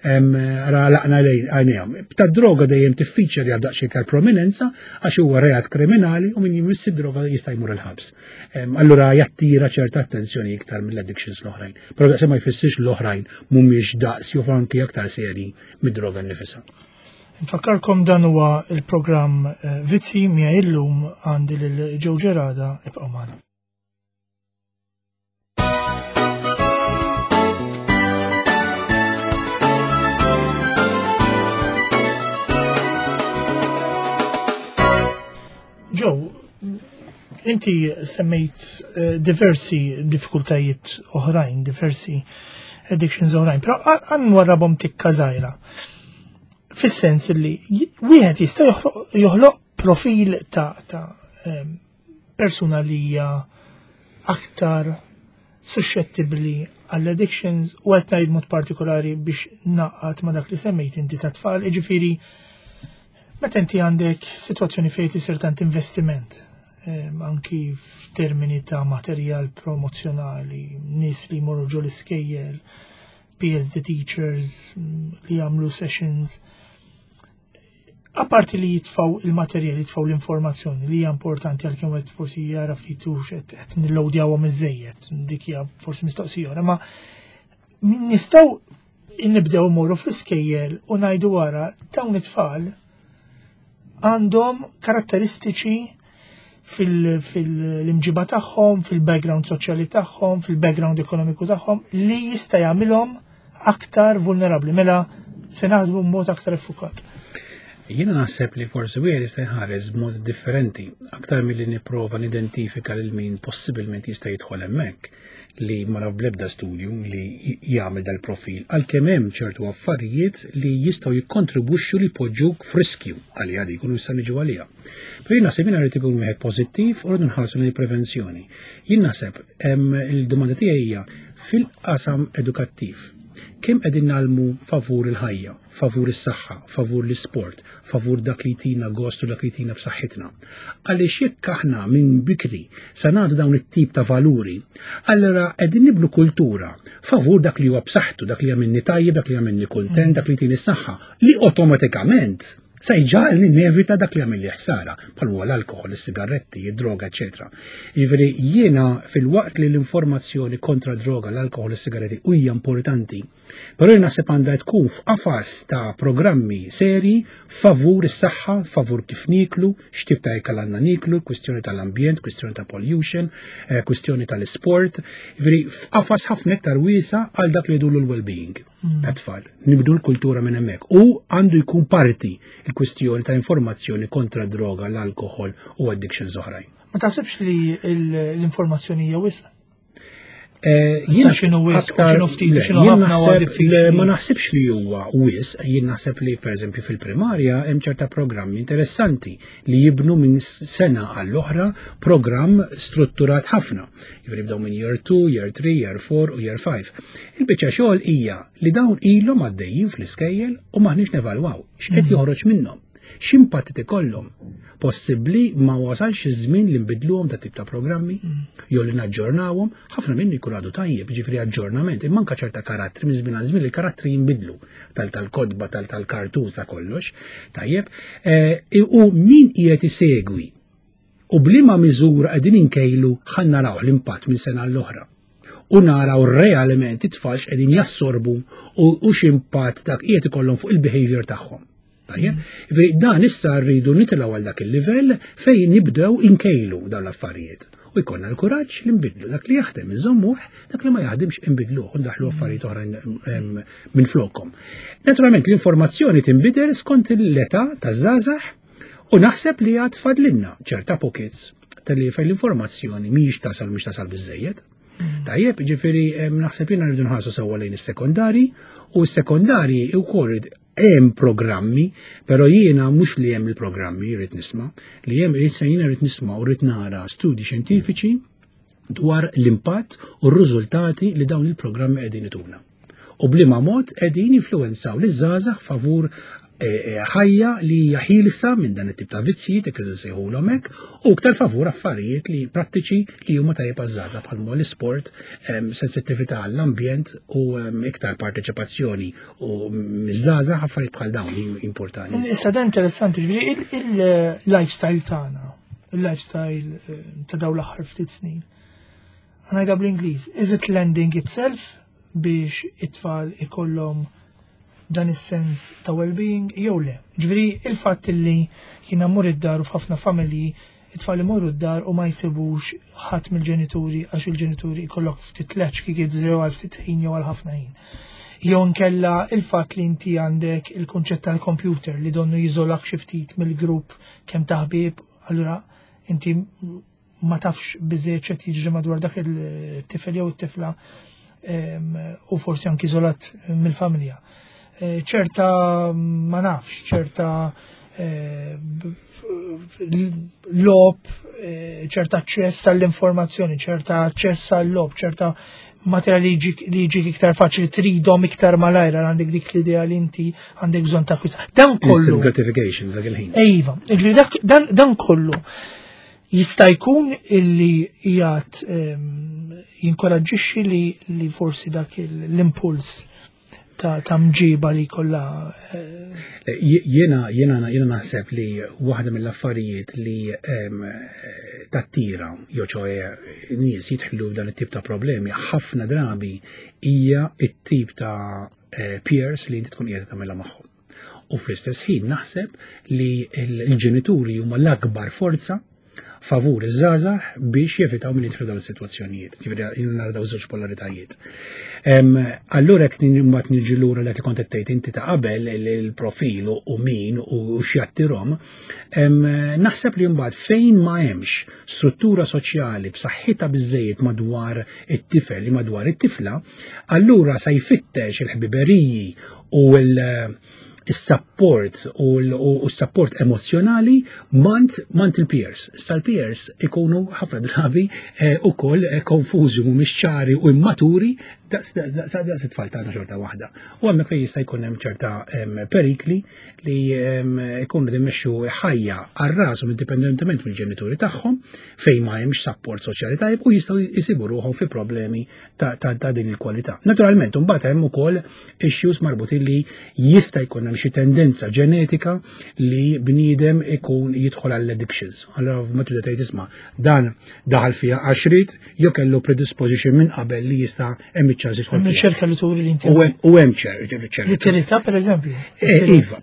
S2: Ra laqna għajnejhom. Ta' droga dejjem tiffiċċja li għal daqsxejn tal-prominenza għax huwa reat kriminali u min jmiss id-droga jista' jmur il-ħabs. Allura jattira ċerta attenzjoni iktar mill-addictions l-oħrajn. Però daqs ma jfissirx l-oħrajn mhumiex daqs jew anki aktar serji mid-droga nnifisha.
S1: Nfakkarkom dan huwa il-programm Vizzi miegħi illum għandi lil Joe Gerada, ibqgħu magħna. Joe, inti semmejt diversi diffikultajiet oħrajn, diversi addictions oħrajn, però għan warrabhom tikka żgħira. Fis-sens li wieħed jista' joħloq profil ta' ta' persuna li hija aktar suscettibbli għall-addictions u qed ngħid mod partikolari biex naqgħad ma' dak li semmejt inti ta' tfal, jiġifieri meta inti għandek sitwazzjoni fejn isir tant investiment, anki f'termini ta' materjal promozzjonali, nies li jmorru ġol iskejjel, P S D teachers li jagħmlu sessions, apparti li jitfaw il-materjal, jitfaw l-informazzjoni li hija importanti għalkemm wieħed forsi jara ftit hux qed nillowdjawhom iżejjed, dik hija forsi mistoqsija oħra, ma nistgħu nibdew immorru fl-iskejjel u ngħidu wara dawn it-tfal għandhom karatteristiċi fil-imġiba tagħhom, fil-background soċjali tagħhom, fil-background ekonomiku tagħhom li jista' jagħmilhom aktar vulnerabbli, mela se naħdmu b'mod aktar effukat.
S2: Jiena naħseb li forsi wieħed jista' jħares b'mod differenti, aktar milli nipprova nidentifika lil min possibilment jista' jidħol hemmhekk li ma naf bl-ebda studju li jagħmel dal-profil, għalkemm hemm ċertu affarijiet li jistgħu jikkontribwixxu li jpoġġuk f'riskju għalija dik u nista' niġu għaliha. Però jien naħseb jiena rrid ikun wieħed pożittiv u rridu nħarsu lejn il-prevenzjoni. Jien naħseb il-domanda tiegħi hija fil-qasam edukattiv. Kemm qegħdin nagħlmu favur il-ħajja, favur is-saħħa, favur l-isport, favur dak li jtina gost u dak li jtina b'saħħitna. Għaliex jekk aħna minn bikri sa nagħtu dawn it-tip ta' valuri, allura qegħdin nibnu kultura favur dak li huwa b'saħħtu, dak li jagħmilni tajjeb, dak li jagħmilni kuntent, dak li jtini s-saħħa, li awtomatikament sa jġagħalni nevita dak li jagħmilli ħsara, bħal huwa l-alkoħol, is-sigaretti, id-droga, eċetera. Jiġifieri jiena fil-waqt li l-informazzjoni kontra droga, l-alkoħol, is-sigaretti hija importanti, però jien naħseb għandha tkun f'qafas ta' programmi seri favur is-saħħa, favur kif nieklu, x'tip ta' ikel għandna nieklu, kwistjoni tal-ambjent, kwistjoni ta' pollution, kwistjoni tal-isport, jiġifieri f'qafas ħafna iktar wiesa' għal dak li jdulu l-well-being tat-tfal. Nibdu l-kultura minn hemmhekk u għandu jkun parti il-kwistjoni ta' informazzjoni kontra droga, l-alkoħol u addictions oħrajn.
S1: Ma taħsibx li l-informazzjoni hija wisq?
S2: Jien
S1: x'inhu wisq, x'inhu ftit, x'inhu ħafna huwa diffiċli.
S2: Ma naħsibx li huwa wisq, jien naħseb li pereżempju fil-primarja hemm ċerta programmi interessanti li jibnu minn sena għall-oħra programm strutturat ħafna. Jiġifieri jibdew minn year two, year three, year four u year five. Il-biċċa xogħol hija li dawn ilhom għaddejjin fl-iskejjel u maħniex nevalwaw x'qed joħroġ minnhom, x'impatt ikollhom. Possibbli ma wasalx iż-żmien li nbidluhom da tip ta' programmi jew li naġġornawhom, ħafna minnu jkun għadu tajjeb, jiġifieri aġġornament, imma anke ċerta karattri minn żmien għal żmien il-karattri jinbidlu tal-kodba, tal-kartun ta' kollox, tajjeb, u min qiegħed isegwi u b'liema miżura qegħdin inkejlu ħa naraw l-impatt minn sena l-oħra. U naraw realment it-tfal x'qegħdin jassorbu u x'impatt dak qiegħed ikollhom fuq il-behavior tagħhom. Tajjeb, jiġifieri dan issa rridu nitilgħu għal dak il-livell fejn nibdew inkejlu dawn l-affarijiet. U jkollna l-kuraġġ li nbidlu dak li jaħdem inżommuh, dak li ma jaħdimx inbidluh u ndaħlu affarijiet oħrajn minn flokkom. Naturalment l-informazzjoni tinbidel skont l-età taż-żgħażagħ u naħseb li għad fadlinna ċerta pockets tal-li fejn l-informazzjoni mhijiex tasal mhux tasal biżżejjed. Tajjeb, jiġifieri naħseb jiena rridu nħarsu sewwa lejn is-sekondari u s-sekondari wkoll hemm programmi, però jiena mhux li hemm il-programmi rrid nisma', li hemm jiena rrid nisma' u rrid nara studji xjentifiċi dwar l-impatt u r-riżultati li dawn il-programmi qegħdin ituna. U b'liema mod qegħdin jinfluwenzaw liż-żgħażagħ favur ħajja li hija ħielsa minn dan it-tip ta' vizzji, jekk nsejħulhom hekk, u iktar favur affarijiet li prattiċi li huma tajjeb għaż-żgħażagħ bħal l-isport, sensittività għall-ambjent u iktar parteċipazzjoni u miż-żgħażagħ, affarijiet bħal dawn li importanti.
S1: Issa dan interessanti, ġifieri il-lifestyle tagħna, il-lifestyle eh, ta' dawn l-aħħar ftit snin. Ħa ngħidha bl-Ingliż, is it lending itself biex it-tfal ikollhom dan is-sens ta' well-being jew le? Ġifieri il-fatt li jiena mmur id-dar u f'ħafna familji it-tfal imorru d-dar u ma jsibux ħadd mill-ġenituri, għax il-ġenituri jkollok ftit latchkey kids jew għal ftit ħin jew għal ħafna ħin. Jew nkella il-fatt li inti għandek il-kunċett tal-computer li donnu jiżolak xi ftit mill-grupp kemm taħbib, allura inti ma tafx biżejjed x'qed jiġri madwar dak il-tifel jew it-tifla u forsi anki iżolat mill-familja. Eh, ċerta ma nafx, ċerta eh, logħob, eh, ċerta aċċess għall-informazzjoni, ċerta aċċess għall-logħob, ċerta materjali li jiġik iktar faċli, tridhom iktar malajr, għandek dik l-idea li inti għandek bżonn ta' kwista. Dan kollu.
S2: Instant gratification dak il-ħin.
S1: Iva, dan, dan kollu jista' jkun illi jgħat jinkoraġġixxi li, li forsi dak l-impuls ta', ta mġiba li kollha.
S2: eh, Jiena jiena jiena naħseb li waħda mill-affarijiet li tattira jew ċoè nies jidħlu f'dan it-tip ta' problemi ħafna drabi hija it-tip ta' eh, peers li inti tkun qiegħda tagħmilha magħhom. U fl-istess ħin naħseb li l-ġenituri huma l-akbar forza favur iż-żgħażagħ biex jevitaw minn jidħlu dawn is-sitwazzjonijiet. Ġifieri nara dawn żewġ polaritajiet. Allura jekk mbagħad niġi lura dak li kont qed tgħid inti ta' qabel, il-profil u min u x'jattirhom, naħseb li mbagħad fejn ma hemmx struttura soċjali b'saħħitha biżejjed madwar it-tifel li madwar it-tifla, allura sa jfittex il-ħbiberiji u l- il-support u l-support emozjonali mant mant il-peers. Issa l-peers ikunu ħafna drabi eh, ukoll eh, konfużi, mhumiex ċari u immaturi daqs daqs it-tfal tagħna xorta waħda. U hemmhekk fejn jista' jkun hemm ċerta perikli li ikunu imexxu ħajja għal rashom indipendentement mill-ġenituri tagħhom, fejn ma hemmx support soċjali tajjeb, u jistgħu jsibu ruħhom fi problemi ta' din il-kwalità. Naturalment, imbagħad hemm ukoll issues marbutin li jista' jkun hemm xi tendenza ġenetika li bniedem ikun jidħol għall addictions. Allora ma tibda tgħid, isma', dan daħal fiha għax ried jew kellu predisposition minn qabel li jista' hemm iċ-ċans jidħol.
S1: Hemm riċerka li turi li inti.
S2: U hemm ċerka.
S1: Li tiritha, pereżempju.
S2: Eh, iva,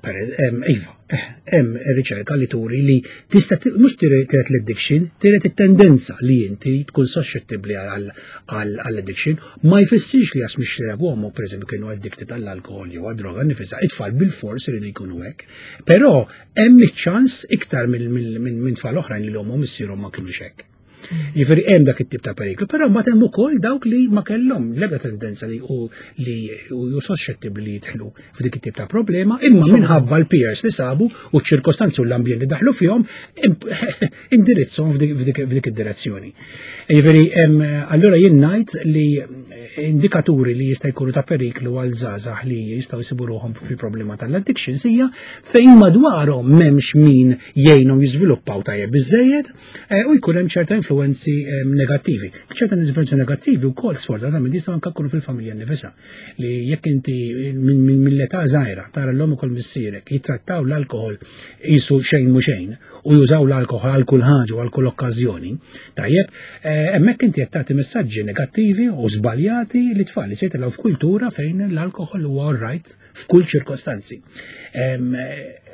S2: iva, eh, hemm riċerka li turi li tista' mhux tiret l-addiction, tiret it-tendenza li inti tkun suscettibbli għall-addiction, ma jfissirx li għax mixreb u pereżempju kienu addicted għall-alkohol jew għad-droga nifisha, it-tfal bil-fors iridu jkunu hekk. Però hemm iċ-ċans iktar minn tfal oħrajn li l-omm missierhom ma kienux hekk. Jiġifieri hemm dak it-tip ta' periklu, però mbagħad hemm ukoll dawk li ma kellhom l-ebda tendenza li u li u suscettibbli li jidħlu f'dik it-tip ta' problema, imma minħabba l-peers li sabu u ċ-ċirkostanzi u l-ambjent li daħlu fihom indirizzhom f'dik id-direzzjoni. Jiġifieri allura jien ngħid li indikaturi li jista' jkunu ta' periklu għal żgħażagħ li jistgħu jsibu ruħhom fi problema tal-addictions hija fejn madwarhom m'hemmx min jgħinhom jiżviluppaw tajjeb biżejjed eh, u jkun hemm ċerta influenzi negattivi. ċerta influenzi negattivi wkoll sfortunatament jistgħu anke jkunu fil-familja nifisha, li jekk inti mill-età żgħira tara l-omm ukoll missierek jittrattaw l-alkohol qisu xejn mhu xejn u jużaw l-alkohol għal kull ħaġa u għal kull okkażjoni, tajjeb, eh, hemmhekk inti qed tagħti messaġġi negattivi u żbaljati li tfal li se jitilgħu f'kultura fejn l-alkohol huwa all right f'kull ċirkostanzi.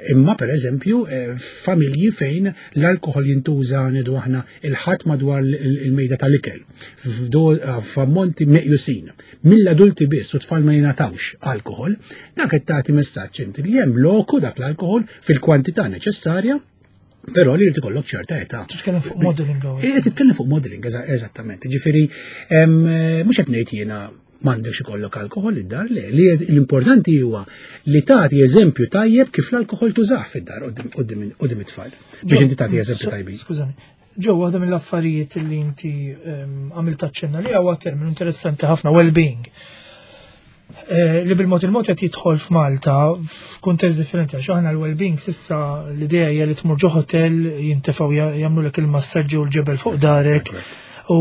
S2: Imma per eżempju, eh, familji fejn l-alkohol jintuża, ngħidu aħna, il-Ħadd madwar il-mejda tal-ikel, f'ammonti meqjusin mill-adulti biss u tfal ma jingħatawx alkohol, dak qed tagħti messaġġ inti li hemm loku dak l-alkohol fil-kwantità neċessarja, però li jrid ikollok ċerta età.
S1: Titkellem fuq modeling hawn.
S2: Eh, titkellem fuq modeling, eżattament. Ġifieri, mhux qed ngħid jiena m'għandekx ikollok alkohol id-dar, le, li l-importanti huwa li tagħti eżempju tajjeb kif l-alkohol tużah fid-dar quddiem it-tfal. Biex inti tagħti eżempju tajbin.
S1: Skużani. Ġew, waħda mill-affarijiet li inti għamilt taċċenna li huwa terminu interessanti ħafna, well-being. eh, li bil-mod il-mod qed jidħol f'Malta f'kuntest differenti, għax aħna l-well-being s'issa l-idea hija li tmur ġo hotel, jintefgħu jagħmlulek il-massaġġi u l-ġebel fuq darek u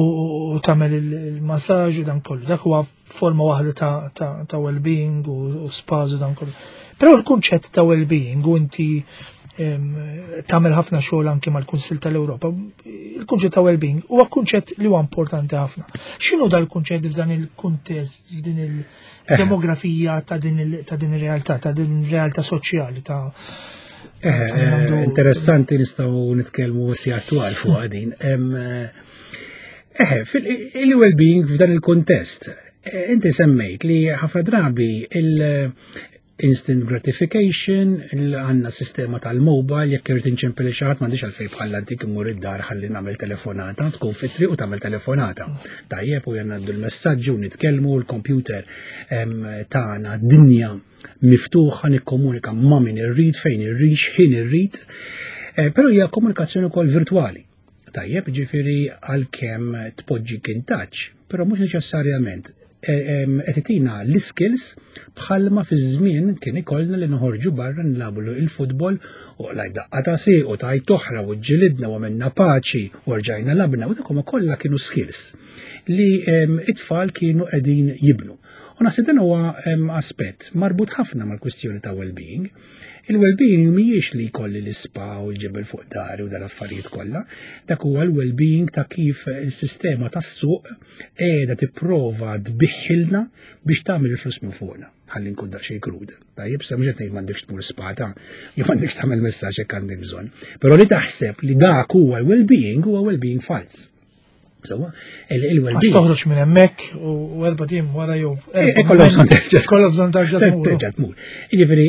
S1: u tagħmel il-massaġġ u dan kollu. Dak huwa forma waħda ta', ta, ta' well-being u, u spas u dan kollu. Però l-kunċett ta' well-being, u inti em, tagħmel ħafna xogħol anke mal-Kunsill tal-Ewropa, il-kunċett ta' well-being huwa kunċett li huwa importanti ħafna. X'inhu dal-kunċett f'dan il-kuntest, f'din il-demografija ta' din il- ta' din ir-realtà, ta' din ir-realtà soċjali ta'
S2: Eh,
S1: ta' min għandu-
S2: Interessanti, nistgħu nitkellmu sigħat twal fuq din. Em, Eh, fil-well-being f'dan il-kontest, eh, inti semmejt li ħafna drabi il-instant gratification, il- għandna sistema tal-mobile, jekk irrid inċempel xi ħadd, m'għandix għalfejn bħal antik immur id-dar ħalli nagħmel telefonata, tkun fit-triq u tagħmel telefonata. Tajjeb, u ngħaddu l-messaġġi u nitkellmu l-computer em, tagħna dinja miftuħa, nikkomunika ma' min irrid, fejn irrid, x'ħin irrid. Eh, Però hija komunikazzjoni wkoll virtwali. Tajjeb, ġifieri għalkemm tpoġġi in touch, però mhux neċessarjament qed itina l-skills bħalma fi żmien kien ikollna li noħorġu barra nilagħbu il-futbol u laj daqqa ta' sieq u tajt oħra u ġilidna u għamilna paċi u rġajna lgħabna, u dak huma kollha kienu skills li em, it-tfal kienu qegħdin jibnu. U naħseb dan huwa em, aspett marbut ħafna mal-kwistjoni ta' well-being. Il-well-being mhijiex li jkolli l-ispa u l-ġebel fuq dari u dal-affarijiet kollha. Dak huwa l-well-being ta' kif il-sistema tas-suq qiegħda tipprova tbigħilna biex tagħmel il-flus minn fuqna. Ħalli nkun daqsxejn krud. Tajjeb, sa mhux qed ngħid m'għandekx tmur spa ta, jew m'għandekx tagħmel messaġġ jekk għandek bżonn. Però li taħseb li dak huwa l-well-being huwa well-being fals. Sewwa,
S1: Għax
S2: il-well-being.
S1: toħroġ minn hemmhekk u u erba' tim wara jew
S2: E, kollha bżonn terġa'.
S1: Kollha bżonn terġa' tmur.
S2: Terġa' tmur. Jiġifieri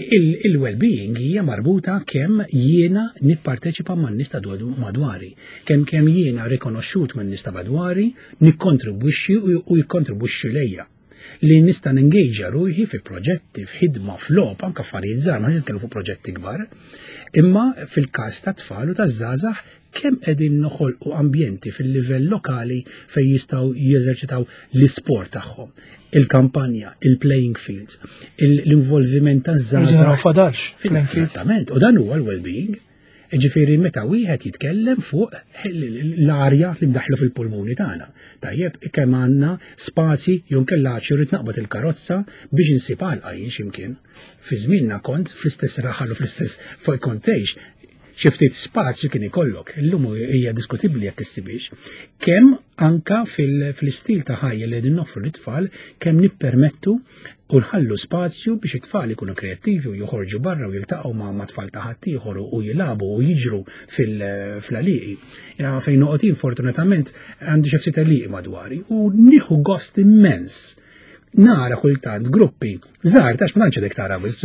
S2: il-well-being hija marbuta kemm jiena nipparteċipa man-nies ta' madwari, kemm kemm jiena rikonoxxut man-nies ta' madwari, nikkontribwixxi u u jikkontribwixxi lejja. Li nista' nengagea ruħi fi proġetti, f'ħidma, f'logħob, anke affarijiet żgħar, ma nitkellmu fuq proġetti kbar. Imma fil-każ ta' tfal u ta' żgħażagħ, kemm qegħdin noħolqu ambjenti fil-livell lokali fejn jistgħu jeżerċitaw l-isport tagħhom, il-kampanja, il-playing fields, il- l-involviment ta'
S1: Naraw
S2: żgħażagħ.
S1: Fadalx. Playing fields.
S2: Esattament, u dan huwa l-well-being. Ġifieri meta wieħed jitkellem fuq l-arja li ndaħlu fil-pulmuni tagħna. Tajjeb, kemm għandna spazji jew nkella irrid naqbad il-karozza biex insib għalqa jien x'imkien. Fi żmienna kont fl-istess raħal u fl-istess fuq kont tgħix, xi ftit spazju kien ikollok. Illum hija diskutibbli jekk issibix. Kemm anka fil-istil ta' ħajja li qegħdin noffru lit-tfal, kemm nippermettu u nħallu spazju biex it-tfal ikunu kreattivi u joħorġu barra u jiltaqgħu ma' ma' tfal ta' ħaddieħor u jilagħbu u jiġru fil-għalieqi. Jiena fejn noqgħod jien, fortunatament għandi xi ftit għalieqi madwari u nieħu gost immens nara kultant gruppi żgħar, tax ma tantx għadek tara biss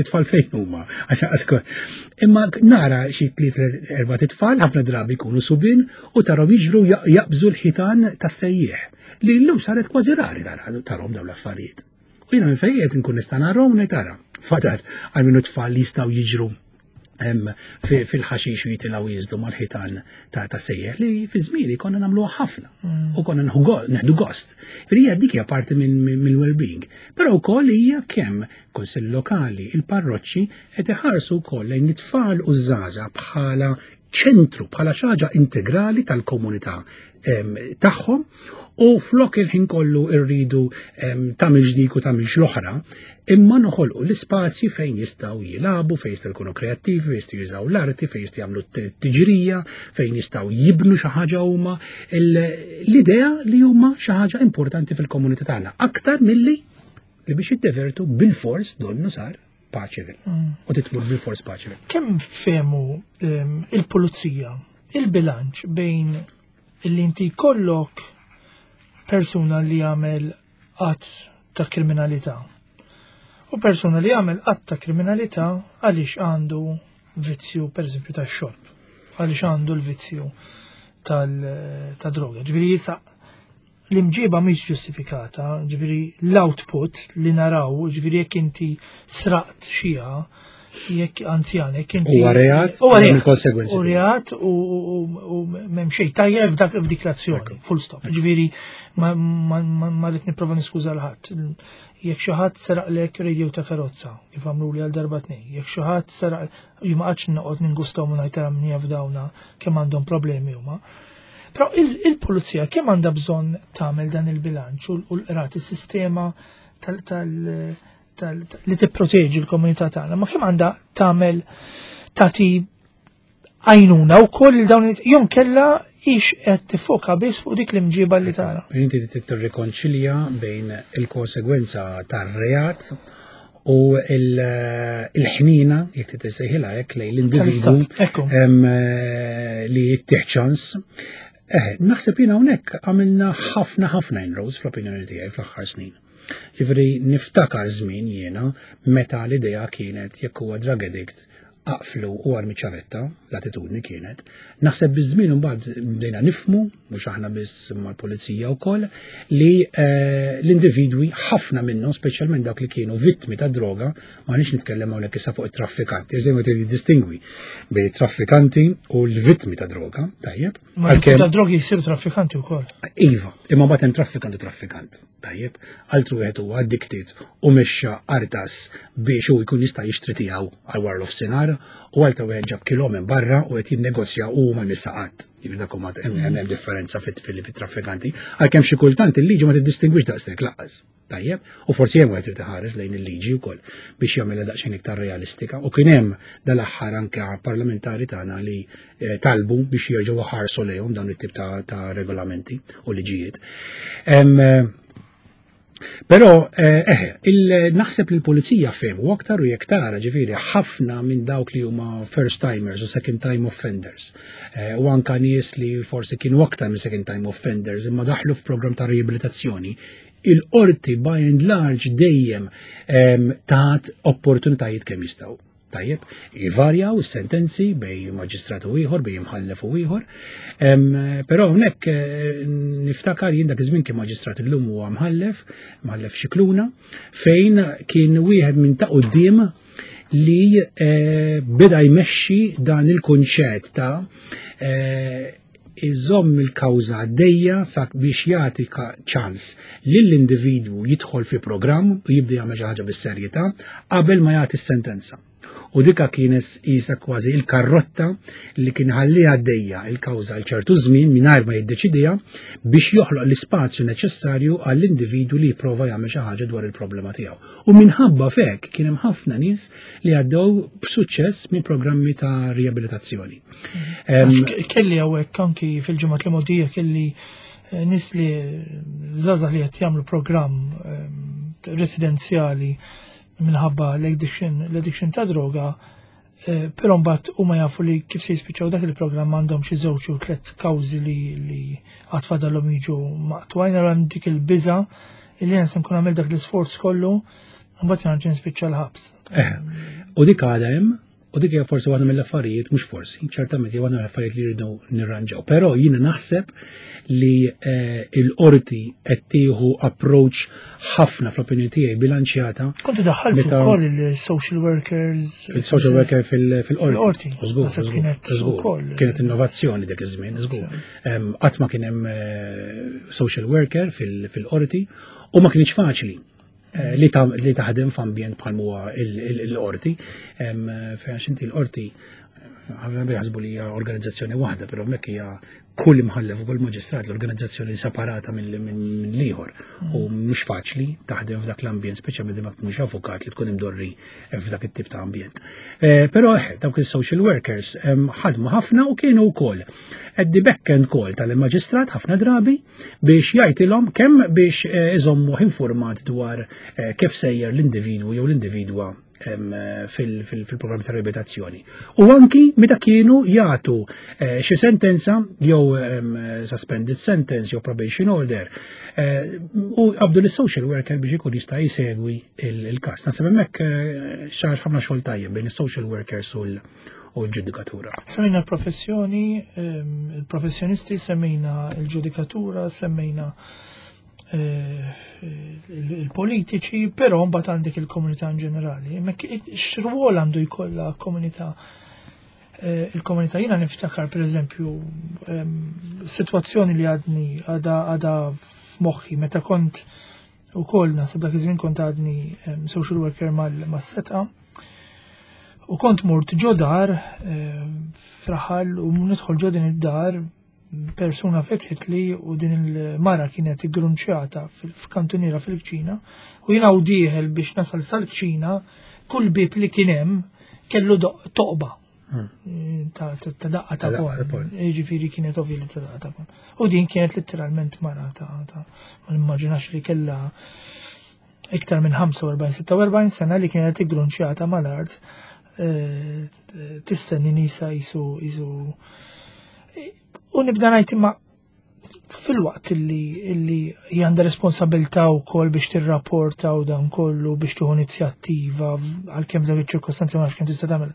S2: tfal fejn huma għax għasko. Imma nara xi tliet, erba' tfal, ħafna drabi jkunu subien, u tarahom jiġru jaqbżu l-ħitan tas-sejjieħ, li llum saret kważi rari tarahom dawn l-affarijiet. U jiena minn fejn qed nkun nista' narahom ngħid, "Tara, fadal għal minnu tfal li jistgħu jiġru fil-ħaxix u jitilgħu jiżdu mal-ħitan ta' sejjeħ", li fi żmieni konna nagħmluha ħafna u konna nieħdu gost. Hija dik hija parti mill-well-being. Però wkoll hija kemm kunsill lokali, il-parroċċi qed iħarsu wkoll lejn it-tfal u żgħażagħ bħala ċentru, bħala xi ħaġa integrali tal-komunità tagħhom, u flok il-ħin kollu rridu tagħmel dik u tagħmel l-oħra, imma noħolqu l-ispazji fejn jistgħu jilagħbu, fejn jistgħu jkunu kreattivi, fejn jistgħu jużaw l-arti, fejn jistgħu jagħmlu tiġrija, fejn jistgħu jibnu xi ħaġa huma, l-idea li huma xi ħaġa importanti fil-komunità tagħna, aktar milli li biex jiddevertu bil-fors donnu sar Paceville. Mm. U titmur bil-fors Paceville.
S1: Kemm fehmu il-pulizija il-bilanċ bejn illi inti kollok persuna li jagħmel att ta' kriminalità u persuna li jagħmel att ta' kriminalità għaliex għandu vizzju, per eżempju, ta' xorb, għaliex għandu l-vizzju ta' droga? Ġifieri jisa l-imġiba mhix ġustifikata, ġifieri l-output li naraw, ġifieri jekk inti sraqt xija, Jekk anzjan, jekk inti.
S2: Huwa reat,
S1: Huwa reat.
S2: Il-konsegwenzi.
S1: U reat u m'hemm xejn tajjeb f'dak f'dik l-azzjoni, full stop. Ġifieri ma ma rrid nipprova niskuża 'l ħadd. Jekk xi ħadd seraqlek radio ta' karozza, kif għamlu li għal darba tnejn, jekk xi ħadd seraq, jien ma qgħadx noqgħod ningustaw minn ħajtara min jaf dawna kemm għandhom problemi huma. Però il-pulizija kemm għandha bżonn tagħmel dan il-bilanċ u l-qrati, is-sistema tal li tipproteġi l-komunità tagħna, ma kemm għandha tagħmel tagħti għajnuna wkoll dawn jew kella ix qed tifoka biss fuq dik l-imġiba li tara.
S2: Inti tirrikonċilja bejn il-konsegwenza tar-reat u il-ħnina, jekk titsejħilha hekk, lejn l-individwu li jittieħ ċans. Eh, naħseb jiena hawnhekk għamilna ħafna ħafna inroads fl-opinjoni tiegħi fl-aħħar snin. Ġifieri niftakar żmien jiena meta l-idea kienet jekk huwa drug addict aqflu u armi ċavetta, l-attitudni kienet. Naħseb biż-żmien imbagħad bdejna nifhmu, mhux aħna biss mal-pulizija wkoll, li eh, l-individwi ħafna minnhom, speċjalment dawk li kienu vittmi ta' droga, ma nix nitkellem hawnhekk issa fuq it-traffikanti, iżda distingwi bejn traffikanti u l-vittmi ta' droga, tajjeb.
S1: Ma ta' drogi jsiru traffikanti wkoll.
S2: Iva, imma mbagħad hemm traffikant u traffikant. Tajjeb, altru wieħed huwa addicted u mexxa artas biex hu jkun jista' jixtri tiegħu għal wara nofsinhar u altru wieħed ġab kilo minn barra u qed jinnegozja u ma nissaqat. Jiġifieri dak huma hemm differenza fit-traffikanti. Għalkemm xi kultant il-liġi ma tiddistingwix daqshekk lanqas. Tajjeb, u forsi hemm wieħed irid iħares lejn il-liġi wkoll biex jagħmilha daqsxejn iktar realistika. U kien hemm dal-aħħar anke parlamentari tagħna li eh, talbu biex jerġgħu ħarsu lejhom dawn it-tip ta' regolamenti u liġijiet. Però, eh, naħseb li l-pulizija fehmu aktar u jekk tara ġifieri ħafna minn dawk li huma first timers u second time offenders. Eh, u anka nies li forsi kienu aktar minn second time offenders imma daħlu f'program ta' riabilitazzjoni. Il-qorti by and large dejjem tat opportunitajiet kemm jistgħu. Tajjeb, jivarjaw is-sentenzi bejn maġistrat u ieħor, bejn imħallef u ieħor. Però hawnhekk eh, niftakar jien dak iż-żmien kien maġistrat, illum huwa mħallef, mħallef Xikluna, fejn kien wieħed minn ta' quddiem li eh, beda jmexxi dan il-kunċett ta' eh, iżomm il-kawża għaddejja sak biex jagħti ċans lill-individwu jidħol fi programm u jibda jagħmel xi ħaġa bis-serjetà qabel ma jagħti s-sentenza. U dika kienet isa kważi il-karrotta li kien ħalli għaddejja il-kawża għal ċertu żmien mingħajr ma jiddeċidija biex joħloq l-ispazju neċessarju għall-individwu li jipprova jagħmel xi ħaġa dwar il-problema tiegħu. U minħabba fek kien hemm ħafna nies li għaddew b'suċċess minn programmi ta' riabilitazzjoni.
S1: Kelli hawnhekk anki fil-ġimgħat li mogħdija kelli eh, nies li żgħażagħ li qed jagħmlu programm residenzjali minħabba l-addiction l-addiction ta' droga, eh, però mbagħad huma jafu li kif se jispiċċaw dak il-programm għandhom xi żewġ u tliet kawżi li li għad fadalhom jiġu maqtugħin, hemm dik il-biża illi jien se nkun għamil dak l-isforz kollu, mbagħad nerġa' nispiċċa l-ħabs.
S2: Eh, u dik għadha hemm, u dik hija forsi waħda mill-affarijiet, mhux forsi, ċertament hija waħda mill-affarijiet li rridu nirranġaw. Però jiena naħseb li eh, il-qorti qed tieħu approach ħafna fl-opinjoni tiegħi bilanċjata.
S1: Kontu daħħaltu wkoll il-social workers.
S2: Il-social worker fil-qorti.
S1: Żgur,
S2: żgur. Kienet innovazzjoni dak iż-żmien, żgur. Qatt ma kien hemm eh, social worker fil-qorti u ma kienx faċli eh, li taħdem f'ambjent bħal huwa il-qorti. Fejn inti l-qorti ħafna jaħsbu li hija organizzazzjoni waħda, però hemmhekk hija kull imħallef u kull maġistrat l-organizzazzjoni separata minn l-ieħor. U mhux faċli taħdem f'dak l-ambjent, speċjalment ma tkunx avukat li tkun imdorri f'dak it-tip ta' ambjent. Eh, però eh, dawk il-social workers ħadmu ħafna u kienu wkoll at the back end call tal-maġistrat ħafna drabi biex jgħidilhom kemm biex eh, iżommu informat dwar kif sejjer l-individwu jew l-individwa fil-programm ta' riabilitazzjoni. U anki meta kienu jagħtu eh, xi sentenza jew suspended sentence jew probation order eh, u qabdu l-social worker biex ikun jista' jsegwi il-każ. Naħseb hemmhekk eh, sar ħafna xogħol tajjeb bejn is-social workers u l-ġudikatura.
S1: Semmejna l-professjoni, il-professjonisti, semmejna l-ġudikatura, semmejna il-politiċi, però mbagħad għandek il-komunità in ġenerali. Imma x'rwol għandu jkollha komunità? Il-komunità jiena niftakar pereżempju sitwazzjoni li għadni għadha għadha f'moħħi meta kont ukoll naħseb dak iż-żmien kont għadni social worker mas-setqa. U kont mort ġo dar fraħal u nidħol ġo din id-dar persuna fetħet li u din il-mara kienet iggrunċjata f'kantuniera fil-kċina u jiena u dieħel biex nasal sal-kċina kull bib li kien hemm kellu toqba ta' daqqa ta' pon. Ġifieri kienet ovvja li ta' daqqa ta' pon. U din kienet letteralment mara ta' ma nimmaġinax li kellha iktar minn ħamsa u erbgħin sitta u erbgħin sena li kienet iggrunċjata mal-art tistenni nisa jisu jisu. U nibda ngħid imma fil-waqt illi illi hija għandha responsabilità wkoll biex tirrapporta u dan kollu biex tieħu inizjattiva għalkemm f'dak iċ-ċirkostanzi ma nafx kemm tista' tagħmel.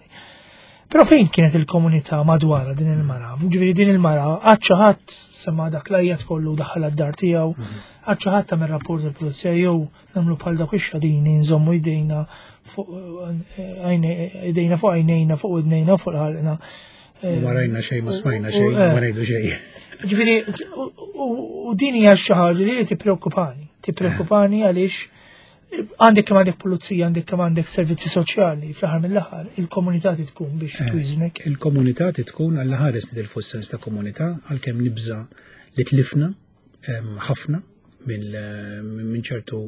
S1: Però fejn kienet il-komunità madwarha din il-mara? Ġifieri din il-mara għad xi ħadd sema dak l-ajjat kollu daħal għad-dar tiegħu, għad xi ħadd tagħmel rapport il-pulizija jew nagħmlu bħal dawk ix-xadini nżommu jdejna fuq idejna fuq għajnejna fuq idnejna fuq ħalqna.
S2: Ma rajna xejn, ma smajna xejn, ma ngħidu xejn.
S1: Ġifieri u din hija xi ħaġa li tippreokkupani, tippreokkupani għaliex għandek kemm għandek pulizija, għandek kemm għandek servizzi soċjali, fl-aħħar mill-aħħar il-komunità tkun biex twiżnek.
S2: Il-komunità tkun għall ħares nitilfu s-sens ta' komunità għalkemm nibża li tlifna ħafna minn ċertu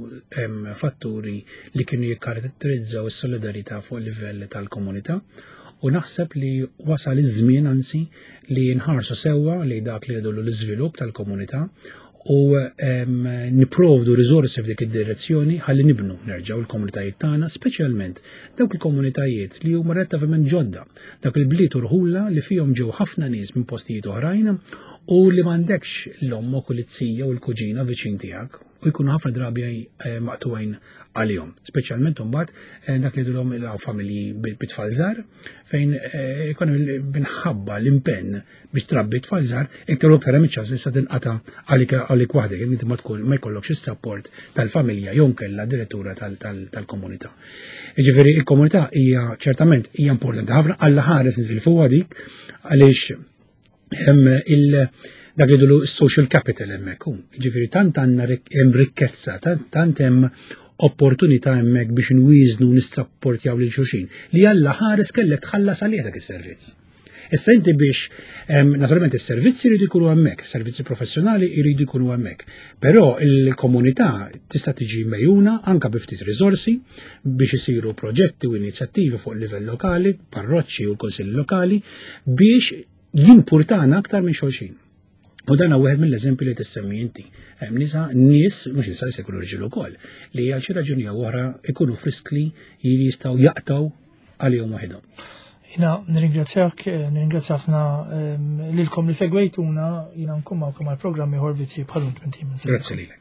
S2: fatturi li kienu jikkaratterizzaw is-solidarità fuq livell tal-komunità. U naħseb li wasal iż-żmien anzi li nħarsu sewwa li dak li jidullu l-iżvilupp tal-komunità u niprovdu riżorsi f'dik id-direzzjoni ħalli nibnu nerġgħu l-komunitajiet tagħna, speċjalment dawk il-komunitajiet li huma relattivament ġodda, dak il-bliet u rħula li fihom ġew ħafna nies minn postijiet oħrajn u li m'għandekx l-ommok u l-izzija u l-kuġina viċin tiegħek u jkunu ħafna drabi maqtuwajn għalihom. Speċjalment imbagħad dak li jidulhom il familji bit-tfal żgħar fejn ikun minħabba l-impenn biex trabbi tfal żgħar iktar u iktar hemm iċ-ċans li sa tinqata' għalik waħdek, inti ma tkun ma jkollokx is-sapport tal-familja jew nkella direttura tal-komunità. Jiġifieri il-komunità hija ċertament hija importanti ħafna għal ħares nitilfuha dik għaliex hemm il dak li dulu social capital hemmhekk. Jiġifieri tant għandna hemm rikkezza, tant hemm opportunità hemmhekk biex nwieżnu nissapportjaw lil xulxin li Alla ħares kellek tħallas għalih dak is-servizz. Issa inti biex naturalment is-servizzi jridu jkunu hemmhekk, is-servizzi professjonali jridu jkunu hemmhekk, però il-komunità tista' tiġi mejjuna anke bi ftit riżorsi biex isiru proġetti u inizjattivi fuq livell lokali, parroċċi u l-kunsilli lokali biex jimpurtana aktar minn xulxin. U dan wieħed mill-eżempji li tissemmi inti. Hemm nisa nies, mhux nisa se jkunu rġiel ukoll, li għal xi raġuni jew oħra ikunu friskli li jistgħu jaqtgħu għalihom waħedhom.
S1: Jiena nirringrazzjak, nirringrazzja ħafna lilkom li segwejtuna, jiena nkun magħkom għal programm ieħor Vizzji bħal tmien.
S2: Grazzi lilek.